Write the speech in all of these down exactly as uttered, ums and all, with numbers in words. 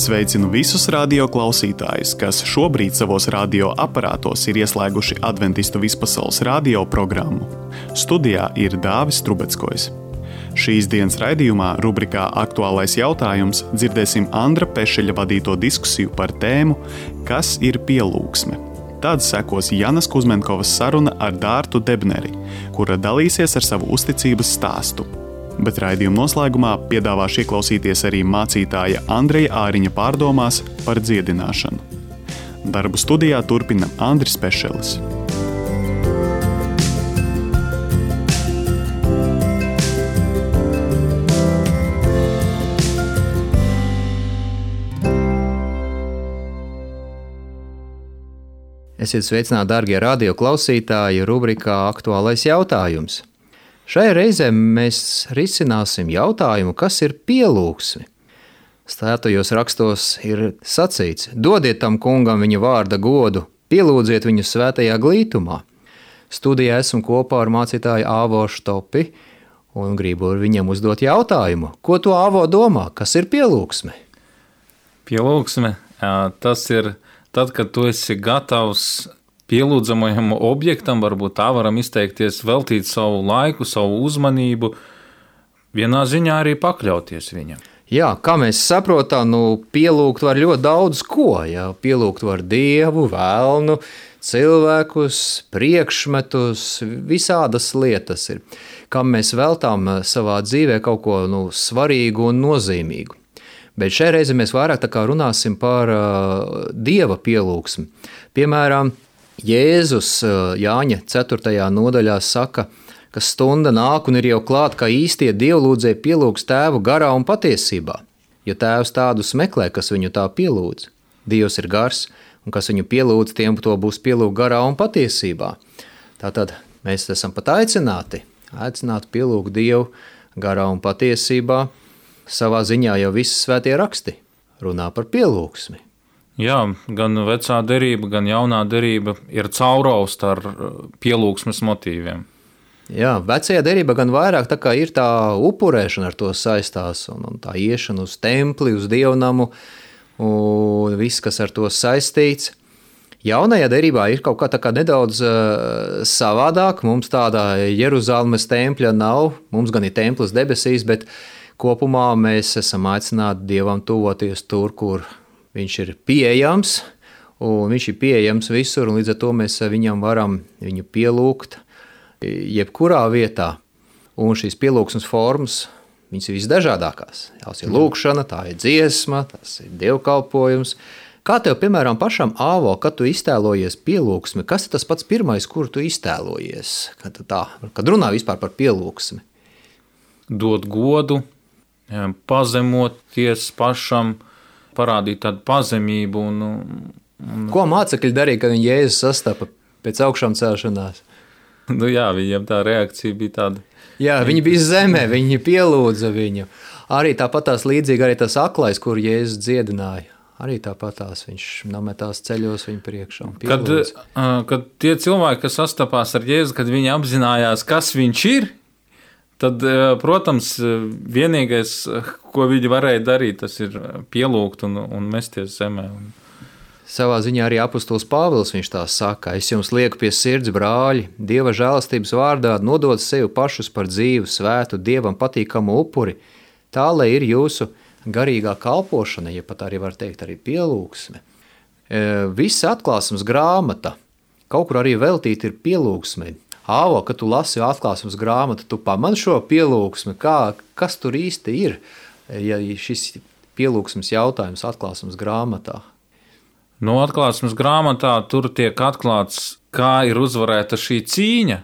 Sveicinu visus radio klausītājus, kas šobrīd savos radio aparātos ir ieslēguši Adventistu vispasaules radio programmu. Studijā ir Dāvis Trubeckojs. Šīs dienas raidījumā rubrikā Aktuālais jautājums dzirdēsim Andra Pešeļa vadīto diskusiju par tēmu Kas ir pielūgsme? Tad sekos Janas Kuzmenkovas saruna ar Dārtu Debneri, kura dalīsies ar savu uzticības stāstu. Bet raidījuma noslēgumā piedāvāšu ieklausīties arī mācītāja Andreja Āriņa pārdomās par dziedināšanu. Darbu studijā turpina Andris Pešelis. Esiet sveicināti, darbie radio klausītāji, rubrikā Aktuālais jautājums. Šajā reizē mēs risināsim jautājumu, kas ir pielūgsme. Svētajos rakstos ir sacīts: dodiet tam kungam viņa vārda godu, pielūdziet viņu svētajā glītumā. Studijā esmu kopā ar mācītāju Āvo Štopi un gribu viņam uzdot jautājumu. Ko tu, Āvo, domā? Kas ir pielūgsme? Pielūgsme, tas ir tad, kad tu esi gatavs pielūdzamajam objektam, varbūt tā varam izteikties, veltīt savu laiku, savu uzmanību, vienā ziņā arī pakļauties viņam. Jā, kā mēs saprotam, nu, pielūgt var ļoti daudz ko. Jā. Pielūgt var Dievu, velnu, cilvēkus, priekšmetus, visādas lietas ir. Kam mēs veltām savā dzīvē kaut ko nu, svarīgu un nozīmīgu. Bet šai reizi mēs vairāk tā kā runāsim par uh, Dieva pielūgsmi. Piemēram, Jēzus Jāņa ceturtajā nodaļā saka, ka stunda nāk un ir jau klāt, kā īstie dievlūdzēji pielūgs tēvu garā un patiesībā. Jo tēvs tādus meklē, kas viņu tā pielūdz. Dievs ir gars, un kas viņu pielūdz, tiem to būs pielūgt garā un patiesībā. Tātad mēs esam pat aicināti, aicināti pielūgt Dievu garā un patiesībā. Savā ziņā jau visi svētie raksti runā par pielūgsmi. Jā, gan vecā derība, gan jaunā derība ir caurausta ar pielūgsmes motīviem. Jā, vecajā derība gan vairāk tā kā ir tā upurēšana ar to saistās, un, un tā iešana uz templi, uz dievnamu, un viss, kas ar to saistīts. Jaunajā derībā ir kaut kā tā kā nedaudz uh, savādāk, mums tāda Jeruzalemes tempļa nav, mums gan ir templis debesīs, bet kopumā mēs esam aicināti Dievam tuvoties tur, kur viņš ir pieejams, un viņš ir pieejams visur, un līdz ar to mēs viņam varam viņu pielūgt jebkurā vietā. Un šīs pielūgsmes formas, viņas ir visdažādākās. Tās ir lūkšana, tā ir dziesma, tas ir dievkalpojums. Kā tev, piemēram, pašam, Āvo, kad tu iztēlojies pielūgsmi, kas ir tas pats pirmais, kur tu iztēlojies, kad, tā, kad runā vispār par pielūgsmi? Dot godu, pazemoties pašam, parādīt tādu pazemību. Un, un... Ko mācekļi darīja, kad viņi Jēzus sastapa pēc augšām celšanās? Nu jā, viņiem tā reakcija bija tāda. Jā, viņi bija zemē, viņi pielūdza viņu. Arī tāpatās līdzīgi arī tas aklais, kur Jēzus dziedināja. Arī tāpatās viņš nometās ceļos viņu priekšā un pielūdza. Kad, kad tie cilvēki, kas sastapās ar Jēzu, kad viņi apzinājās, kas viņš ir, tad, protams, vienīgais, ko viņi varēja darīt, tas ir pielūgt un, un mesties zemē. Savā ziņā arī apostols Pāvils viņš tā saka: es jums lieku pie sirds, brāļi, Dieva žēlastības vārdā nodot sevi pašus par dzīvu, svētu, Dievam patīkamu upuri, tā, lai ir jūsu garīgā kalpošana, ja pat arī var teikt arī pielūgsme. Visa atklāsmes grāmata, kaut kur arī veltīta ir pielūgsmei. Āvo, kad tu lasi atklāsmes grāmatu, tu pamani šo pielūgsmi, kā, kas tur īsti ir, ja šis pielūgsmes jautājums atklāsmes grāmatā? No atklāsmes grāmatā tur tiek atklāts, kā ir uzvarēta šī cīņa,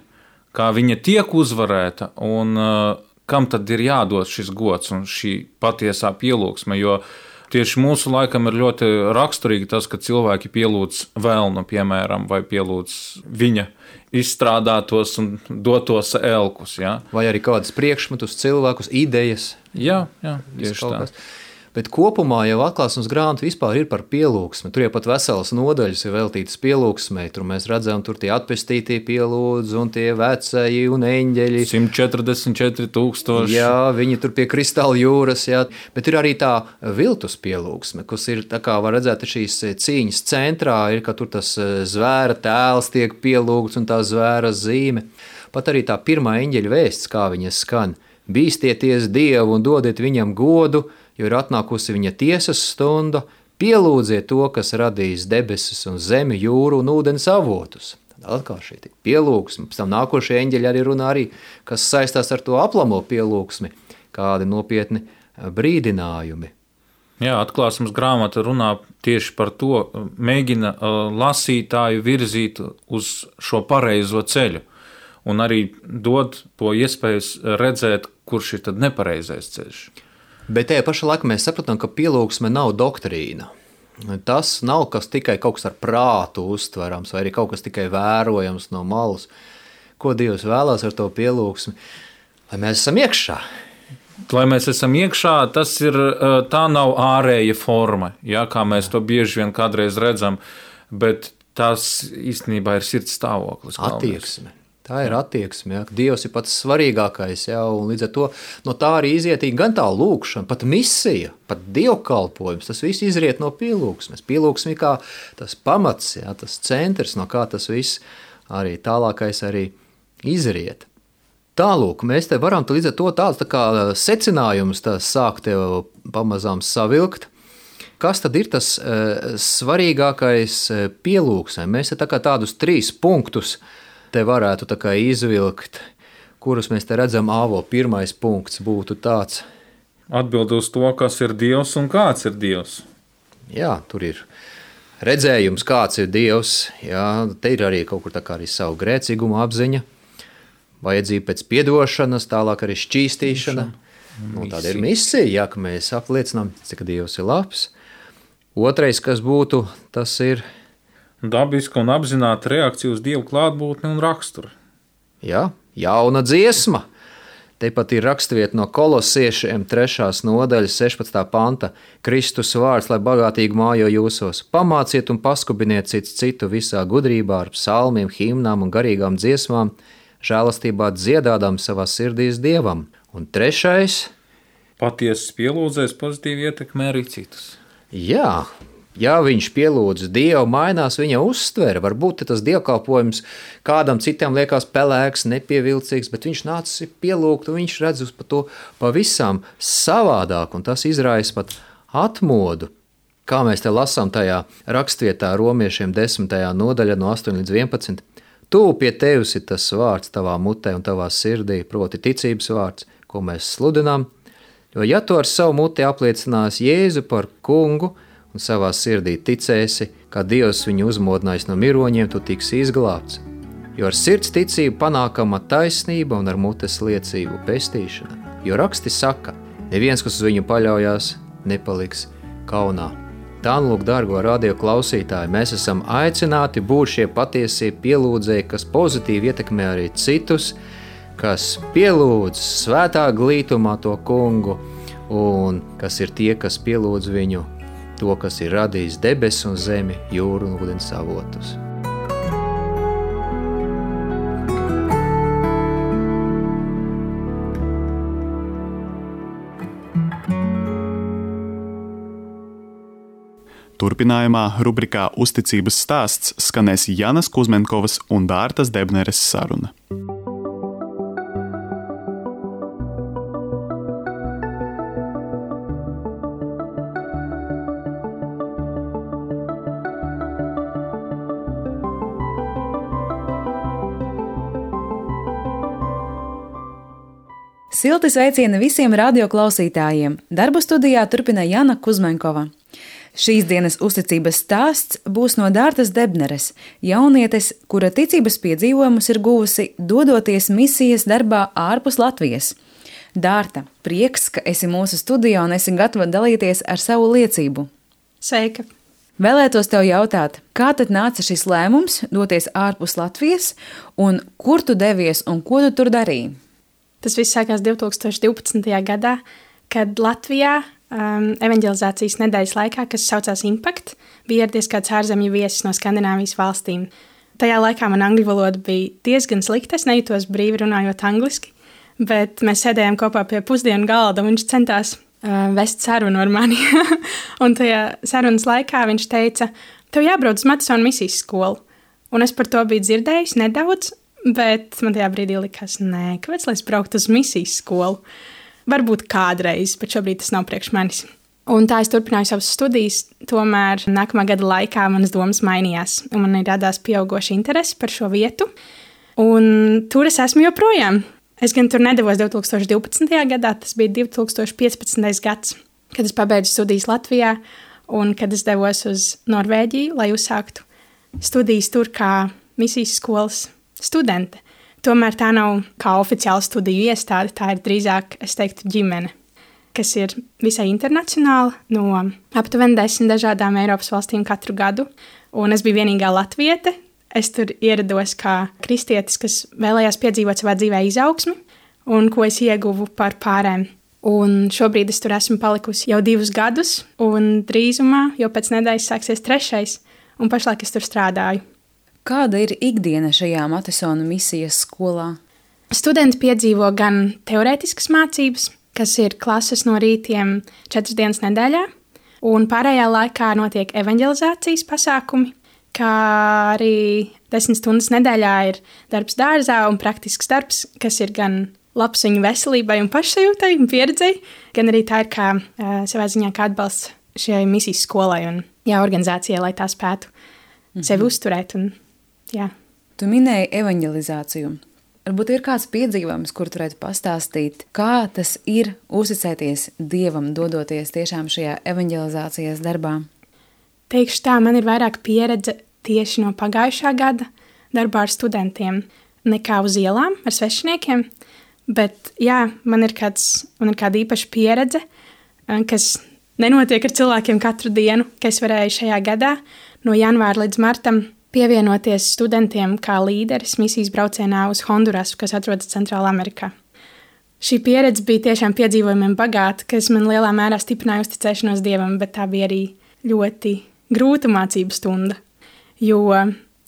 kā viņa tiek uzvarēta un uh, kam tad ir jādod šis gods un šī patiesā pielūgsme, jo tieši mūsu laikam ir ļoti raksturīgi tas, ka cilvēki pielūdz velnu, piemēram, vai pielūdz viņa izstrādātos un dotos elkus. Ja? Vai arī kādas priekšmetus, cilvēkus, idejas. Jā, jā, tieši tā. Bet kopumā jau atklāsmes grāmata vispār ir par pielūgsmi. Tur jau pat veselas nodaļas ir veltītas pielūgsmei. Tur mēs redzam, tur tie atpestītie pielūdz un tie vecēji un eņģeļi. simt četrdesmit četri tūkstoši. Jā, viņi tur pie kristāla jūras, jā. Bet ir arī tā viltus pielūgsme, kas ir, tā kā var redzēt, šīs cīņas centrā ir, ka tur tas zvēra tēls tiek pielūgts un tā zvēra zīme. Pat arī tā pirmā eņģeļa vēsts, kā viņa skan. Bīstieties Dievu un dodiet viņam godu, jo ir atnākusi viņa tiesas stunda, pielūdziet to, kas radījis debesis un zemi, jūru un ūdens avotus. Tad atkal šī pielūgsme, pēc tam nākošie eņģeļi arī runā arī, kas saistās ar to aplamo pielūgsmi, kādi nopietni brīdinājumi. Jā, atklāsmes grāmata runā tieši par to, mēģina lasītāju virzīt uz šo pareizo ceļu un arī dod to iespēju redzēt, kurš ir tad nepareizais ceļš. Bet tajā pašā laikā mēs saprotam, ka pielūgsme nav doktrīna. Tas nav kas tikai kaut kas ar prātu uztverams, vai arī kaut kas tikai vērojams no malas. Ko Dievs vēlās ar to pielūgsmi? Lai mēs esam iekšā. Lai mēs esam iekšā, tas ir, tā nav ārēja forma, ja, kā mēs to bieži vien kādreiz redzam, bet tas īstenībā ir sirds stāvoklis. Attieksme. Tā ir attieksme, ja. Dievs ir pats svarīgākais, ja, un līdz ar to no tā arī izietīgi gan tā lūkšana, pat misija, pat dievkalpojums, tas viss izriet no pielūgsmes. Pielūgsme kā tas pamats, ja, tas centrs, no kā tas viss arī tālākais arī izriet. Tālūk, mēs te varam līdz ar to tāds tā kā secinājums tā sākt tev pamazām savilkt. Kas tad ir tas e, svarīgākais pielūgsmē? Mēs te tā kā tādus trīs punktus te varētu tā kā izvilkt, kurus mēs te redzam. Āvo, pirmais punkts būtu tāds. Atbild uz to, kas ir Dievs un kāds ir Dievs. Jā, tur ir redzējums, kāds ir Dievs. Jā, te ir arī kaut kur tā kā arī savu grēcīgumu apziņa, vajadzība pēc piedošanas, tālāk arī šķīstīšana. Nu, tāda ir misija, jā, ka mēs apliecinām, cik Dievs ir labs. Otrais, kas būtu, tas ir dabiska un apzināta reakcija uz Dievu klātbūtni un raksturu. Jā, jauna dziesma. Tepat ir rakstvieta no Kolosiešiem trešās nodaļas sešpadsmitā panta. Kristus vārds, lai bagātīgi mājo jūsos. Pamāciet un paskubiniet cits citu visā gudrībā ar psalmiem, himnām un garīgām dziesmām, žēlastībā dziedādām savā sirdīs Dievam. Un trešais. Patiesas pielūdzēs pozitīvi ietekmē arī citus. Jā. Ja viņš pielūdz Dievu, mainās viņa uztvere. Varbūt tas dievkalpojums kādam citam liekas pelēks, nepievilcīgs, bet viņš nācis pielūgt, un viņš redz uz to pavisam savādāk, un tas izraisa pat atmodu. Kā mēs te lasām tajā rakstvietā romiešiem desmitajā nodaļā no astoņi līdz vienpadsmit. Tūp pie tevis ir tas vārds tavā mutē un tavā sirdī, proti ticības vārds, ko mēs sludinām. Jo ja tu ar savu muti apliecinās Jēzu par kungu, un savā sirdī ticēsi, kā Dievs viņu uzmodinājis no miroņiem, tu tiksi izglābts. Jo ar sirds ticību panākama taisnība un ar mutes liecību pestīšana. Jo raksti saka, neviens, kas uz viņu paļaujās, nepaliks kaunā. Tā nu lūk, dargo radio klausītāji, mēs esam aicināti būt šie patiesie pielūdzēji, kas pozitīvi ietekmē arī citus, kas pielūdz svētā glītumā to kungu un kas ir tie, kas pielūdz viņu, to, kas ir radījis debesis un zemi, jūru un ūdens avotus. Turpinājumā rubrikā Uzticības stāsts skanēs Janas Kuzmenkovas un Dārtas Debneres saruna. Silti sveicieni visiem radioklausītājiem! Darbu studijā turpina Jana Kuzmenkova. Šīs dienas uzticības stāsts būs no Dārtas Debneres, jaunietes, kura ticības piedzīvojumus ir guvusi dodoties misijas darbā ārpus Latvijas. Dārta, prieks, ka esi mūsu studijā un esi gatava dalīties ar savu liecību. Sveika! Vēlētos tev jautāt, kā tad nāca šis lēmums doties ārpus Latvijas un kur tu devies un ko tu tur darīji? Tas viss sākās divtūkstoš divpadsmitajā gadā, kad Latvijā um, evanģelizācijas nedēļas laikā, kas saucās Impact. Bija ieradies kāds ārzemju viesis no Skandināvijas valstīm. Tajā laikā man angļu valoda bija diezgan slikta, es nejūtos brīvi runājot angliski, bet mēs sēdējām kopā pie pusdienu galda, un viņš centās uh, vest sarunu ar mani. Un tajā sarunas laikā viņš teica, tev jābrauc uz Madisona misijas skolu. Un es par to biju dzirdējis nedaudz, bet man tajā brīdī likās, nē, kāpēc lai es brauktu uz misijas skolu? Varbūt kādreiz, bet šobrīd tas nav priekš manis. Un tā es turpināju savas studijas, tomēr nākamā gada laikā manas domas mainījās, un man ir radās pieaugoša interese par šo vietu. Un tur es esmu joprojām. Es gan tur nedavos divi tūkstoši divpadsmitajā gadā, tas bija divi tūkstoši piecpadsmitais gads, kad es pabeidzu studijas Latvijā, un kad es devos uz Norvēģiju, lai uzsāktu studijas tur kā misijas skolas studente. Tomēr tā nav kā oficiāla studiju iestāde, tā ir drīzāk, es teiktu, ģimene, kas ir visai internacionāla, no aptuveni desmit dažādām Eiropas valstīm katru gadu. Un es biju vienīgā latviete. Es tur ierados kā kristietis, kas vēlējās piedzīvot savā dzīvē izaugsmi, un ko es ieguvu par pārēm. Un šobrīd es tur esmu palikusi jau divus gadus, un drīzumā, jau pēc nedēļas sāksies trešais, un pašlaik es tur strādāju. Kāda ir ikdiena šajā Madisona misijas skolā? Studenti piedzīvo gan teorētiskas mācības, kas ir klases no rītiem četras dienas nedēļā, un pārējā laikā notiek evanģelizācijas pasākumi, kā arī desmit stundas nedēļā ir darbs dārzā un praktisks darbs, kas ir gan labs viņu veselībai un pašsajūtai un pieredzei, gan arī tā ir kā uh, savā ziņā kā atbalsts šai misijas skolai un jā, organizācijai, lai tā spētu mm-hmm. sevi uzturēt. Un, jā. Tu minēji evanģelizāciju. Varbūt ir kāds piedzīvojums, kur tu varētu pastāstīt, kā tas ir uzticēties Dievam, dodoties tiešām šajā evanģelizācijas darbā? Teikšu tā, man ir vairāk pieredze tieši no pagājušā gada darbā ar studentiem nekā uz ielām ar svešiniekiem, bet jā, man ir, kāds, man ir kāda īpaša pieredze, kas nenotiek ar cilvēkiem katru dienu, ka es varēju šajā gadā no janvāra līdz martam pievienoties studentiem kā līderis misijas braucienā uz Hondurasu, kas atrodas Centrālā Amerikā. Šī pieredze bija tiešām piedzīvojumiem bagāta, kas man lielā mērā stiprināja uzticēšanos Dievam, bet tā bija arī ļoti grūta mācību stunda, jo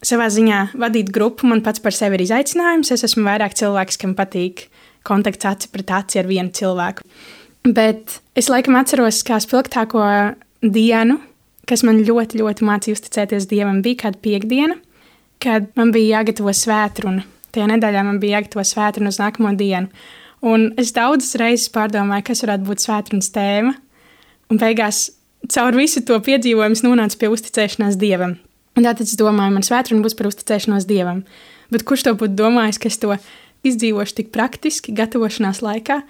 savā ziņā vadīt grupu man pats par sevi ir izaicinājums. Es esmu vairāk cilvēks, kam patīk kontakts aci pret aci ar vienu cilvēku. Bet es laikam atceros kā spilgtāko dienu, kas man ļoti, ļoti mācīja uzticēties Dievam, bija kāda piekdiena, kad man bija jāgatavo svētruna. Tajā nedēļā man bija jāgatavo svētruna uz nākamo dienu. Un es daudzas reizes pārdomāju, kas varētu būt svētrunas tēma. Un beigās caur visu to piedzīvojumu nonācu pie uzticēšanās Dievam. Un tātad es domāju, man svētruna būs par uzticēšanos Dievam. Bet kurš to būtu domājis, ka es to izdzīvošu tik praktiski gatavošanās laikā?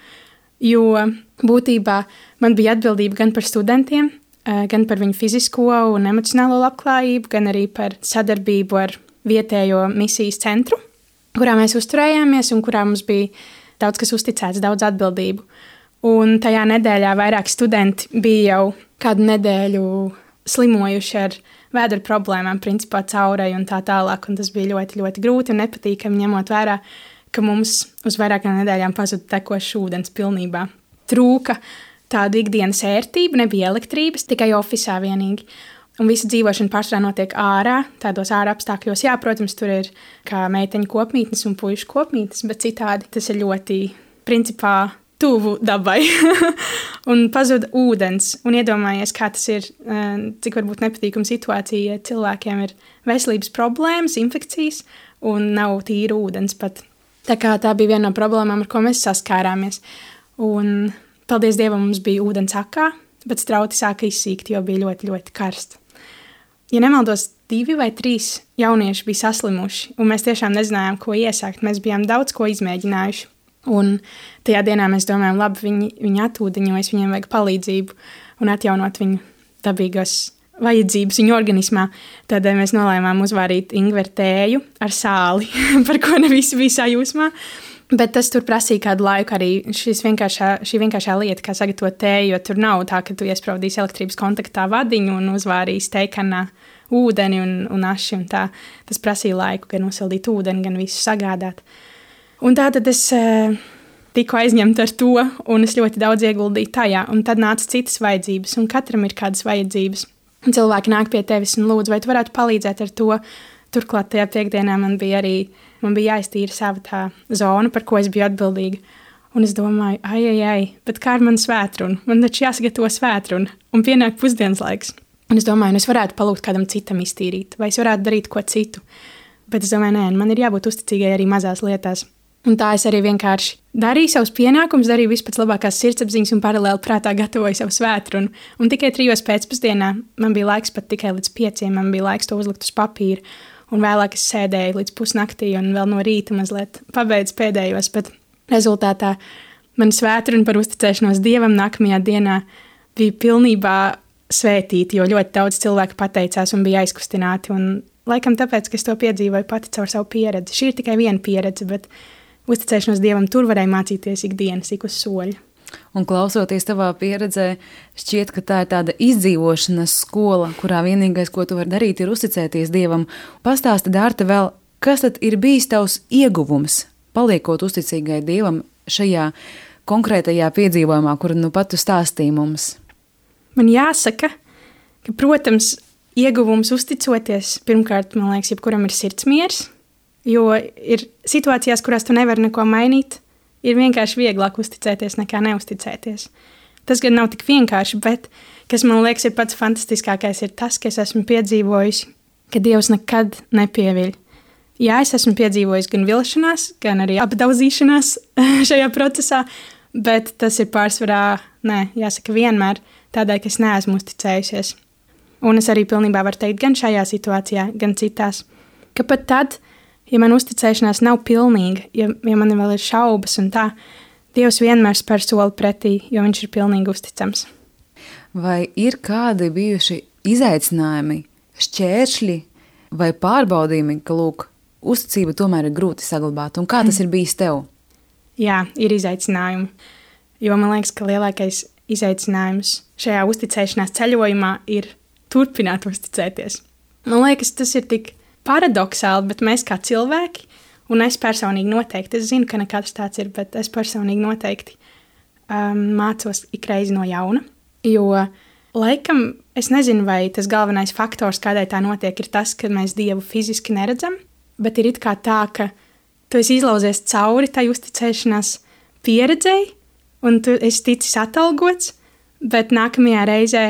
Jo būtībā man bija atbildība gan par studentiem, gan par viņu fizisko un emocionālo labklājību, gan arī par sadarbību ar vietējo misijas centru, kurā mēs uzturējāmies un kurā mums bija daudz kas uzticēts, daudz atbildību. Un tajā nedēļā vairāk studenti bija jau kādu nedēļu slimojuši ar vēdera problēmām, principā caurai un tā tālāk, un tas bija ļoti, ļoti grūti un nepatīkami, ņemot vērā, ka mums uz vairākām nedēļām pazuda tekošs ūdens pilnībā. Trūka tāda ikdienas ērtība, nebija elektrības, tikai ofisā vienīgi. Un visa dzīvošana pārsvarā notiek ārā, tādos ārā apstākļos. Jā, protams, tur ir kā meiteņu kopmītnes un puišu kopmītnes, bet citādi tas ir ļoti, principā, tuvu dabai. Un pazuda ūdens. Un iedomājies, kā tas ir, cik varbūt nepatīkama situācija, ja cilvēkiem ir veselības problēmas, infekcijas un nav tīra ūdens pat. Tā kā tā bija viena no problēmām, ar ko mēs saskārāmies. Un, paldies Dievam, mums bija ūdens akā, bet strauti sāka izsīkt, jo bija ļoti, ļoti karsts. Ja nemaldos, divi vai trīs jaunieši bija saslimuši, un mēs tiešām nezinājām, ko iesākt. Mēs bijām daudz ko izmēģinājuši. Un tajā dienā mēs domājām, labi, viņi, viņi atūdeņojas, viņiem vajag palīdzību un atjaunot viņu dabīgos vajadzības viņu organismā. Tad mēs nolēmām uzvārīt ingveru tēju ar sāli, par ko ne visi bija sajūsmā. Bet tas tur prasīja kādu laiku arī šis vienkāršā, šī vienkāršā lieta, kā sagatavot tēju, jo tur nav tā, ka tu iespraudīsi elektrības kontaktā vadiņu un uzvārīsi tejkanā ūdeni un, un aši un tā. Tas prasīja laiku, gan nosildīt ūdeni, gan visu sagādāt. Un tā tad es tiku aizņemta ar to, un es ļoti daudz ieguldīju tajā. Un tad nāca citas vajadzības, un katram ir kādas vajadzības. Un cilvēki nāk pie tevis un lūdz, vai tu varētu palīdzēt ar to. Turklāt tajā piekdienā man bija arī man bija jāiztīra sava tā zona, par ko es biju atbildīga. Un es domāju, ai, ai, ai, bet kā ar manu svētrunu? Man taču jāsagatavo svētrunu, un pienāk pusdienas laiks. Un es domāju, nu es varētu palūgt kādam citam iztīrīt, vai es varētu darīt ko citu. Bet es domāju, nē, man ir jābūt uzticīgai arī mazās lietās. Un tā es arī vienkārši darīju savus pienākumus, darīju visu pēc labākās sirdsapziņas un paralēli prātā gatavoju savu svētrunu. Un tikai trijos pēcpusdienā man bija laiks pat tikai līdz pieciem, man bija laiks to uzlikt uz papīra. Un vēlāk es sēdēju līdz pusnaktī un vēl no rīta mazliet pabeidzu pēdējos, bet rezultātā man svētruna par uzticēšanos Dievam nākamajā dienā bija pilnībā svētīta, jo ļoti daudz cilvēku pateicās un bija aizkustināti. Un laikam tāpēc, ka es to piedzīvoju pati caur savu pieredzi. Šī ir tikai viena pieredze, bet uzticēšanos Dievam tur varēja mācīties ikdienas, ik uz soļa. Un klausoties tavā pieredzē, šķiet, ka tā ir tāda izdzīvošanas skola, kurā vienīgais, ko tu vari darīt, ir uzticēties Dievam. Pastāsti, Dārta, vēl, kas tad ir bijis tavs ieguvums, paliekot uzticīgai Dievam šajā konkrētajā piedzīvojumā, kuru nu pat tu stāstīji mums? Man jāsaka, ka, protams, ieguvums uzticoties, pirmkārt, man liekas, jebkuram ir sirdsmiers, jo ir situācijās, kurās tu nevari neko mainīt, ir vienkārši vieglāk uzticēties nekā neuzticēties. Tas gan nav tik vienkārši, bet, kas man liekas ir pats fantastiskākais, ir tas, ka es esmu piedzīvojusi, ka Dievs nekad nepieviļ. Jā, es esmu piedzīvojis gan vilšanās, gan arī apdauzīšanās šajā procesā, bet tas ir pārsvarā, nē, jāsaka vienmēr tādēļ, ka es neesmu uzticējusies. Un es arī pilnībā varu teikt gan šajā situācijā, gan citās, ka pat tad, ja man uzticēšanās nav pilnīga, ja, ja man vēl ir šaubas un tā, Dievs vienmēr spēr soli pretī, jo viņš ir pilnīgi uzticams. Vai ir kādi bijuši izaicinājumi, šķēršļi vai pārbaudījumi, ka, lūk, uzticība tomēr ir grūti saglabāt? Un kā tas ir bijis tev? Jā, ir izaicinājumi. Jo man liekas, ka lielākais izaicinājums šajā uzticēšanās ceļojumā ir turpināt uzticēties. Man liekas, tas ir tik paradoxāli, bet mēs kā cilvēki, un es personīgi noteikti, es zinu, ka ne katrs tāds ir, bet es personīgi noteikti um, mācos ikreiz no jauna, jo laikam es nezinu, vai tas galvenais faktors, kādēļ tā notiek, ir tas, ka mēs Dievu fiziski neredzam, bet ir it kā tā, ka tu esi izlauzies cauri tai uzticēšanās pieredzei, un tu esi ticis atalgots, bet nākamajā reizē,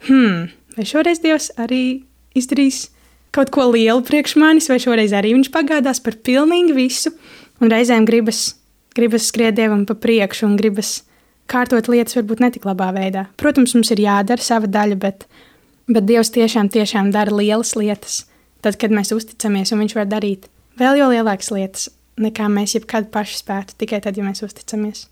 hmm, vai šoreiz Dievs arī izdarīs kaut ko lielu priekš manis, vai šoreiz arī viņš pagādās par pilnīgi visu, un reizēm gribas, gribas skriet Dievam pa priekšu un gribas kārtot lietas varbūt netik labā veidā. Protams, mums ir jādara sava daļa, bet, bet Dievs tiešām, tiešām dara lielas lietas, tad, kad mēs uzticamies, un viņš var darīt vēl jau lielākas lietas, nekā mēs jebkad paši spētu, tikai tad, ja mēs uzticamies.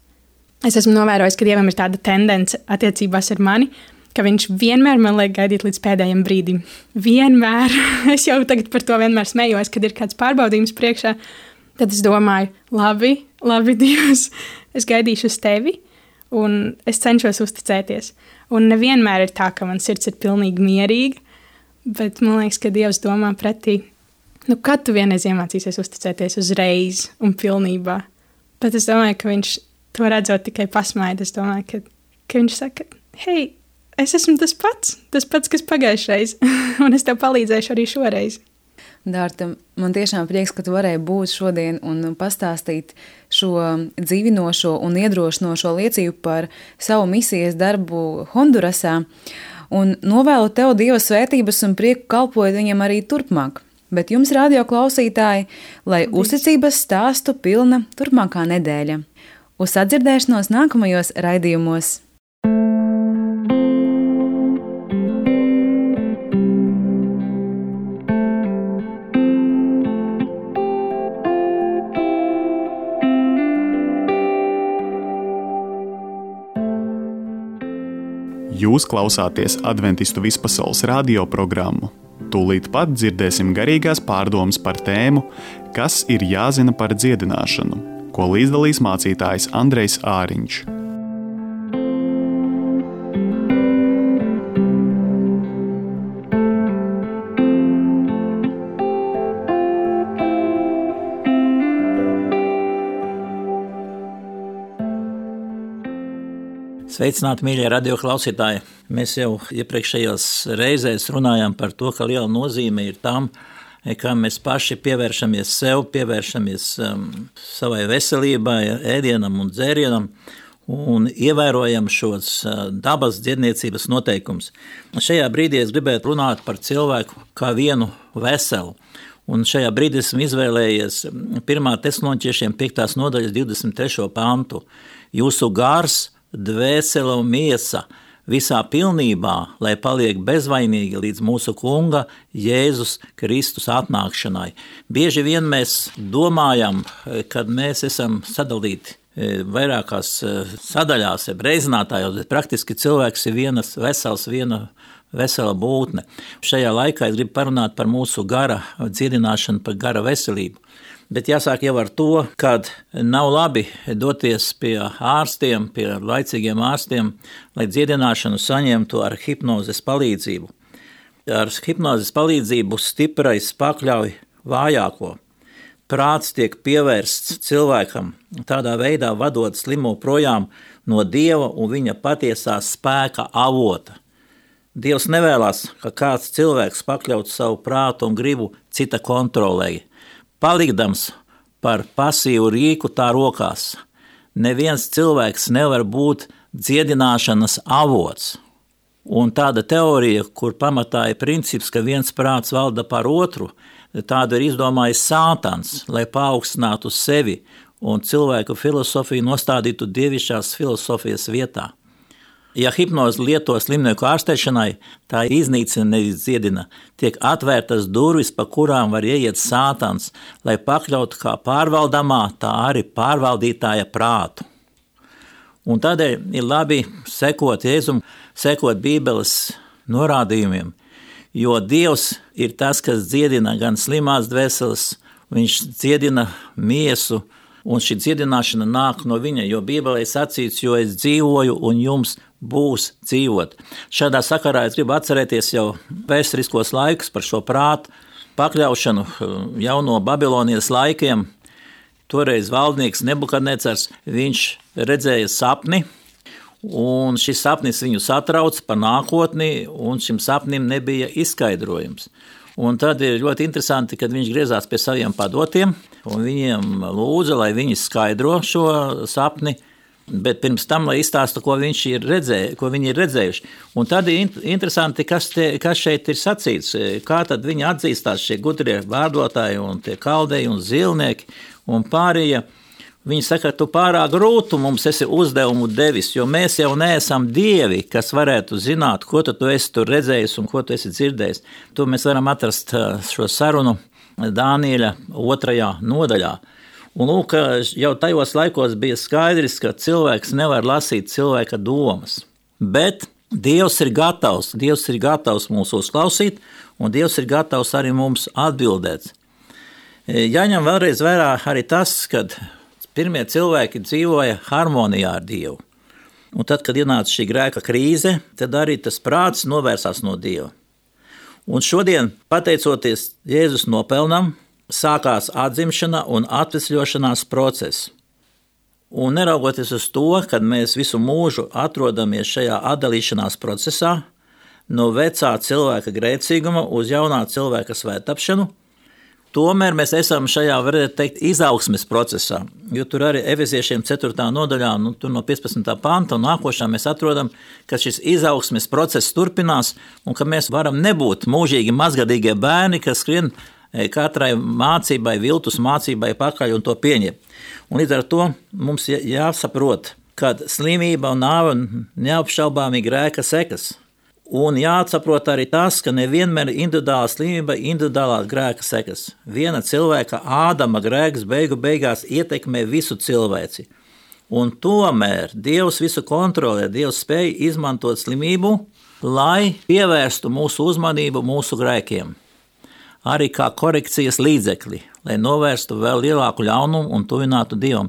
Es esmu novērojis, ka Dievam ir tāda tendence attiecībās ar mani, ka viņš vienmēr man liek gaidīt līdz pēdējiem brīdim. Vienmēr. Es jau tagad par to vienmēr smējos, kad ir kāds pārbaudījums priekšā. Tad es domāju, labi, labi, Dievs, es gaidīšu uz tevi, un es cenšos uzticēties. Un nevienmēr ir tā, ka man sirds ir pilnīgi mierīga, bet man liekas, ka Dievs domā pretī, nu kad tu vienreiz iemācīsies uzticēties uzreiz un pilnībā. Bet es domāju, ka viņš to redzot tikai pasmaida. Es domāju, ka, ka viņš saka, hei, es esmu tas pats, tas pats, kas pagājušreiz, un es tev palīdzēšu arī šoreiz. Dārta, man tiešām prieks, ka tu varēji būt šodien un pastāstīt šo dzīvinošo un iedrošinošo liecību par savu misijas darbu Hondurasā, un novēlu tev Dieva svētības un prieku kalpojot viņam arī turpmāk. Bet jums, radio klausītāji, lai uzticības stāstu pilna turpmākā nedēļa. Uz sadzirdēšanos nākamajos raidījumos! Jūs klausāties Adventistu vispasaules radio programmu. Tūlīt pat dzirdēsim garīgās pārdomas par tēmu, kas ir jāzina par dziedināšanu, ko līdzdalīs mācītājs Andrejs Āriņš. Sveicināti, mīļie radioklausītāji! Mēs jau iepriekšējās reizēs runājām par to, ka liela nozīme ir tam, kā mēs paši pievēršamies sev, pievēršamies um, savai veselībai, ēdienam un dzērienam un ievērojam šos uh, dabas dziedniecības noteikumus. Šajā brīdī es gribētu runāt par cilvēku kā vienu veselu. Un šajā brīdī esmu izvēlējies pirmā Tesaloniķiešiem piektās nodaļas divdesmit trešo pantu. Jūsu gars, dvēsele un miesa visā pilnībā, lai paliek bezvainīgi līdz mūsu Kunga Jēzus Kristus atnākšanai. Bieži vien mēs domājam, kad mēs esam sadalīti vairākās sadaļās, reizinātājos, bet praktiski cilvēks ir vienas vesels, viena vesela būtne. Šajā laikā es gribu parunāt par mūsu gara dziedināšanu, par gara veselību. Bet jāsāk jau ar to, kad nav labi doties pie ārstiem, pie laicīgiem ārstiem, lai dziedināšanu saņemtu ar hipnozes palīdzību. Ar hipnozes palīdzību stiprais pakļauj vājāko. Prāts tiek pievērsts cilvēkam, tādā veidā vadot slimo projām no Dieva un viņa patiesā spēka avota. Dievs nevēlas, ka kāds cilvēks pakļautu savu prātu un gribu cita kontrolē. Palikdams par pasīvu rīku tā rokās, neviens cilvēks nevar būt dziedināšanas avots. Un tāda teorija, kur pamatā ir princips, ka viens prāts valda par otru, tādu ir izdomājis Sātans, lai paaugstinātu sevi un cilvēku filosofiju nostādītu dievišķās filosofijas vietā. Ja hipnozi lieto slimnieku ārstēšanai, tā iznīcina, nevis dziedina, tiek atvērtas durvis, pa kurām var ieiet Sātans, lai pakļautu kā pārvaldamā, tā arī pārvaldītāja prātu. Un tādēļ ir labi sekot Jēzum, sekot Bībeles norādījumiem, jo Dievs ir tas, kas dziedina gan slimās dvēseles, viņš dziedina miesu, un šī dziedināšana nāk no viņa, jo Bībelē sacīts, jo es dzīvoju un jums būs dzīvot. Šādā sakarā es gribu atcerēties jau vēsturiskos laikus par šo prātu pakļaušanu jau no Babilonijas laikiem. Toreiz valdnieks Nebukadnecars, viņš redzēja sapni, un šis sapnis viņu satrauc par nākotni, un šim sapnim nebija izskaidrojums. Un tad ir ļoti interesanti, kad viņš griezās pie saviem padotiem, un viņiem lūdza, lai viņi skaidro šo sapni, bet pirms tam, lai izstāsta, ko, viņš ir redzēju, ko viņi ir redzējuši. Un tad ir interesanti, kas, te, kas šeit ir sacīts, kā tad viņi atzīstās šie gudrie vārdotāji un tie kaldeji un zilnieki un pārējie. Viņi saka, tu pārāk grūtu mums esi uzdevumu devis, jo mēs jau neesam dievi, kas varētu zināt, ko tu esi tur redzējis un ko tu esi dzirdējis. To mēs varam atrast šo sarunu Dānieļa otrajā nodaļā. Un lūk, jau tajos laikos bija skaidrs, ka cilvēks nevar lasīt cilvēka domas. Bet Dievs ir gatavs, Dievs ir gatavs mūs uzklausīt, un Dievs ir gatavs arī mums atbildēt. Jāņem vēlreiz vērā arī tas, kad pirmie cilvēki dzīvoja harmonijā ar Dievu. Un tad, kad ienāca šī grēka krīze, tad arī tas prāts novērsās no Dieva. Un šodien, pateicoties Jēzus nopelnam, sākās atzimšana un atvesļošanās process. Un neraugoties uz to, kad mēs visu mūžu atrodamies šajā atdalīšanās procesā, no vecā cilvēka grēcīguma uz jaunā cilvēka svētapšanu, tomēr mēs esam šajā, varētu teikt, izaugsmes procesā, jo tur arī Efeziešiem ceturtā nodaļā, nu, tur no piecpadsmitā panta un nākošā mēs atrodam, ka šis izaugsmes process turpinās un ka mēs varam nebūt mūžīgi mazgadīgie bērni, kas skrien katrai mācībai, viltus mācībai pakaļ un to pieņem. Un līdz ar to mums jāsaprot, ka slimība un nāve neapšaubāmi grēka sekas. Un jāsaprot arī tas, ka nevienmēr individuāla slimība ir individuālā grēka sekas. Viena cilvēka Ādama grēks beigu beigās ietekmē visu cilvēci. Un tomēr Dievs visu kontrolē, Dievs spēj izmantot slimību, lai pievērstu mūsu uzmanību mūsu grēkiem. Arī kā korekcijas līdzekli, lai novērstu vēl lielāku ļaunumu un tuvinātu Dievam.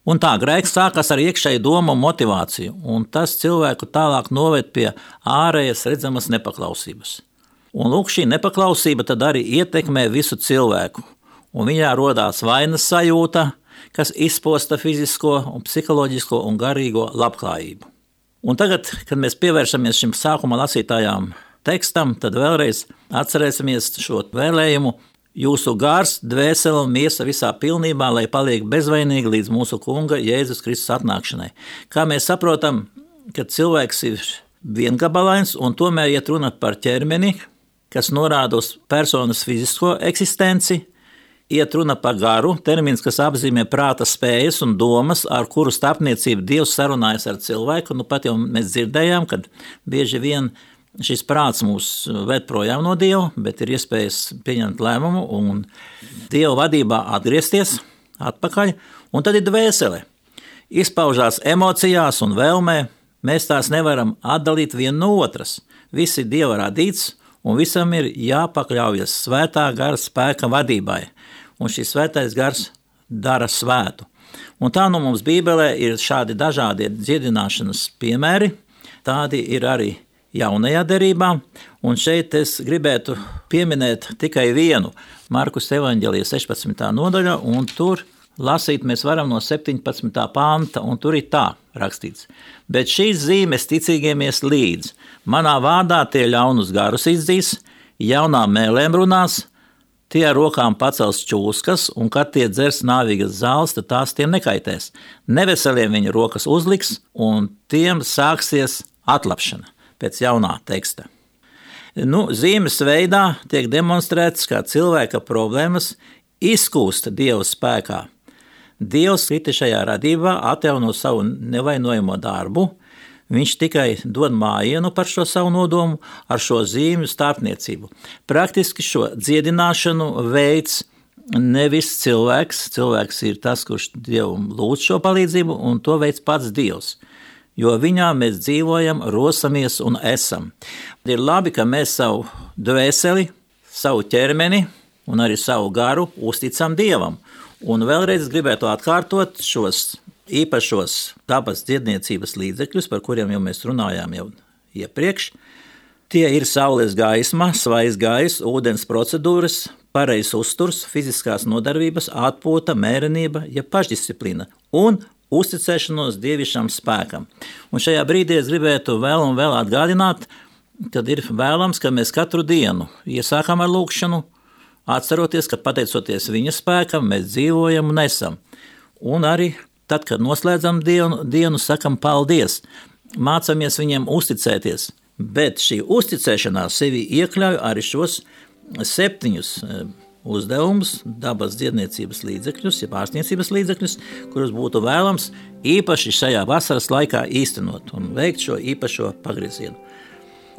Un tā grēks sākas ar iekšēju domu un motivāciju, un tas cilvēku tālāk noved pie ārējas redzamas nepaklausības. Un lūk, šī nepaklausība tad arī ietekmē visu cilvēku, un viņā rodās vainas sajūta, kas izposta fizisko, un psiholoģisko un garīgo labklājību. Un tagad, kad mēs pievēršamies šim sākuma lasītājām tekstam, tad vēlreiz atcerēsimies šo vēlējumu. Jūsu gars, dvēsele un miesa visā pilnībā, lai paliek bezvainīgi līdz mūsu Kunga Jēzus Kristus atnākšanai. Kā mēs saprotam, ka cilvēks ir viengabalains un tomēr iet runa par ķermeni, kas norāda uz personas fizisko eksistenci, iet runa par garu, termins, kas apzīmē prāta spējas un domas, ar kuru starpniecību Dievs sarunājas ar cilvēku. Nu, pat jau mēs dzirdējām, kad bieži vien šis prāts mūs ved projām no Dieva, bet ir iespējas pieņemt lēmumu un Dieva vadībā atgriezties atpakaļ. Un tad ir dvēsele. Izpaužās emocijās un vēlmē, mēs tās nevaram atdalīt viena no otras. Viss ir Dieva radīts, un visam ir jāpakļaujas svētā gara spēka vadībai. Un šis svētais gars dara svētu. Un tā nu mums Bībelē ir šādi dažādi dziedināšanas piemēri, tādi ir arī jaunajā derībā, un šeit es gribētu pieminēt tikai vienu Markus evaņģēlija sešpadsmitā nodaļa, un tur lasīt mēs varam no septiņpadsmitā panta, un tur ir tā rakstīts. Bet šīs zīmes ticīgiem ies līdz. Manā vārdā tie ļaunus garus izdzīs, jaunām mēlēm runās, tie ar rokām pacels čūskas, un kad tie dzers nāvīgas zāles, tad tās tiem nekaitēs. Neveseliem viņa rokas uzliks, un tiem sāksies atlapšana pēc jaunā teksta. Nu, zīmes veidā tiek demonstrēts, kā cilvēka problēmas izkūst Dieva spēkā. Dievs kritišajā radībā atjauno savu nevainojamo darbu, viņš tikai dod mājienu par šo savu nodomu ar šo zīmju starpniecību. Praktiski šo dziedināšanu veids nevis cilvēks, cilvēks ir tas, kurš Dievam lūdz šo palīdzību, un to veids pats Dievs, jo viņā mēs dzīvojam, rosamies un esam. Ir labi, ka mēs savu dvēseli, savu ķermeni un arī savu garu uzticam Dievam. Un vēlreiz gribētu atkārtot šos īpašos dabas dziedniecības līdzekļus, par kuriem jau mēs runājām jau iepriekš. Tie ir saules gaisma, svaigs gaiss, ūdens procedūras, pareizs uzturs, fiziskās nodarbības, atpūta, mērenība, ja pašdisciplīna un uzticēšanos dievišķam spēkam. Un šajā brīdī es gribētu vēl un vēl atgādināt, kad ir vēlams, ka mēs katru dienu iesākam ar lūkšanu, atceroties, ka pateicoties viņa spēkam, mēs dzīvojam un esam. Un arī tad, kad noslēdzam dienu, dienu sakam paldies, mācamies viņiem uzticēties, bet šī uzticēšanās sevi iekļauj arī šos septiņus uzdevumus, dabas dziedniecības līdzekļus, ja ārstniecības līdzekļus, kurus būtu vēlams īpaši šajā vasaras laikā īstenot un veikt šo īpašo pagriezienu.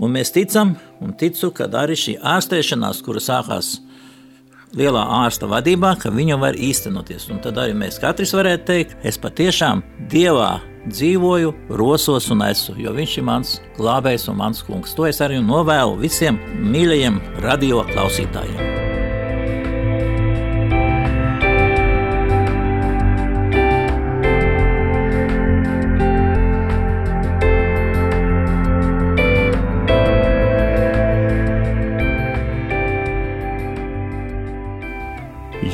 Un mēs ticam un ticu, ka arī šī ārstēšanās, kura sākās lielā ārsta vadībā, ka viņa var īstenoties. Un tad arī mēs katrs varētu teikt, es patiešām Dievā dzīvoju, rosos un esmu, jo viņš ir mans glābējs un mans kungs. To es arī novēlu visiem mīļajiem radio klausītājiem.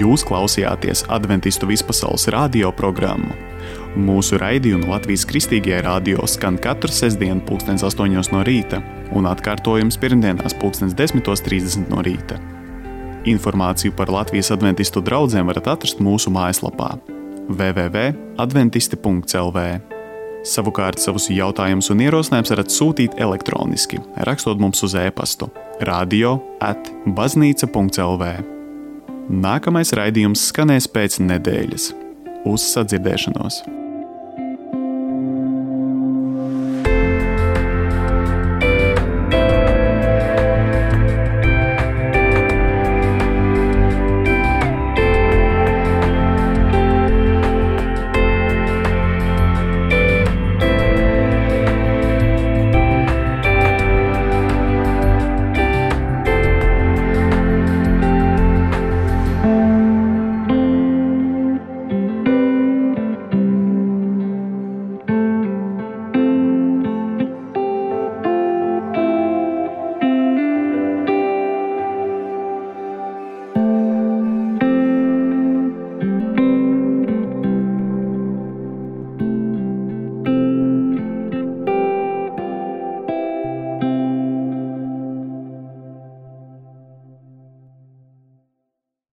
Jūs klausījāties Adventistu vispasaules radio programmu. Mūsu raidījumi Latvijas Kristīgajā radio skan katru sestdienu pulkstens astoņos no rīta un atkārtojums pirmdienās pulkstens desmitos trīsdesmit no rīta. Informāciju par Latvijas adventistu draudzēm varat atrast mūsu mājaslapā w w w punkt adventisti punkt l v. Savukārt savus jautājumus un ierosinājumus varat sūtīt elektroniski, rakstot mums uz e-pastu radio at baznīca punkt l v. Nākamais raidījums skanēs pēc nedēļas. Uz sadzirdēšanos!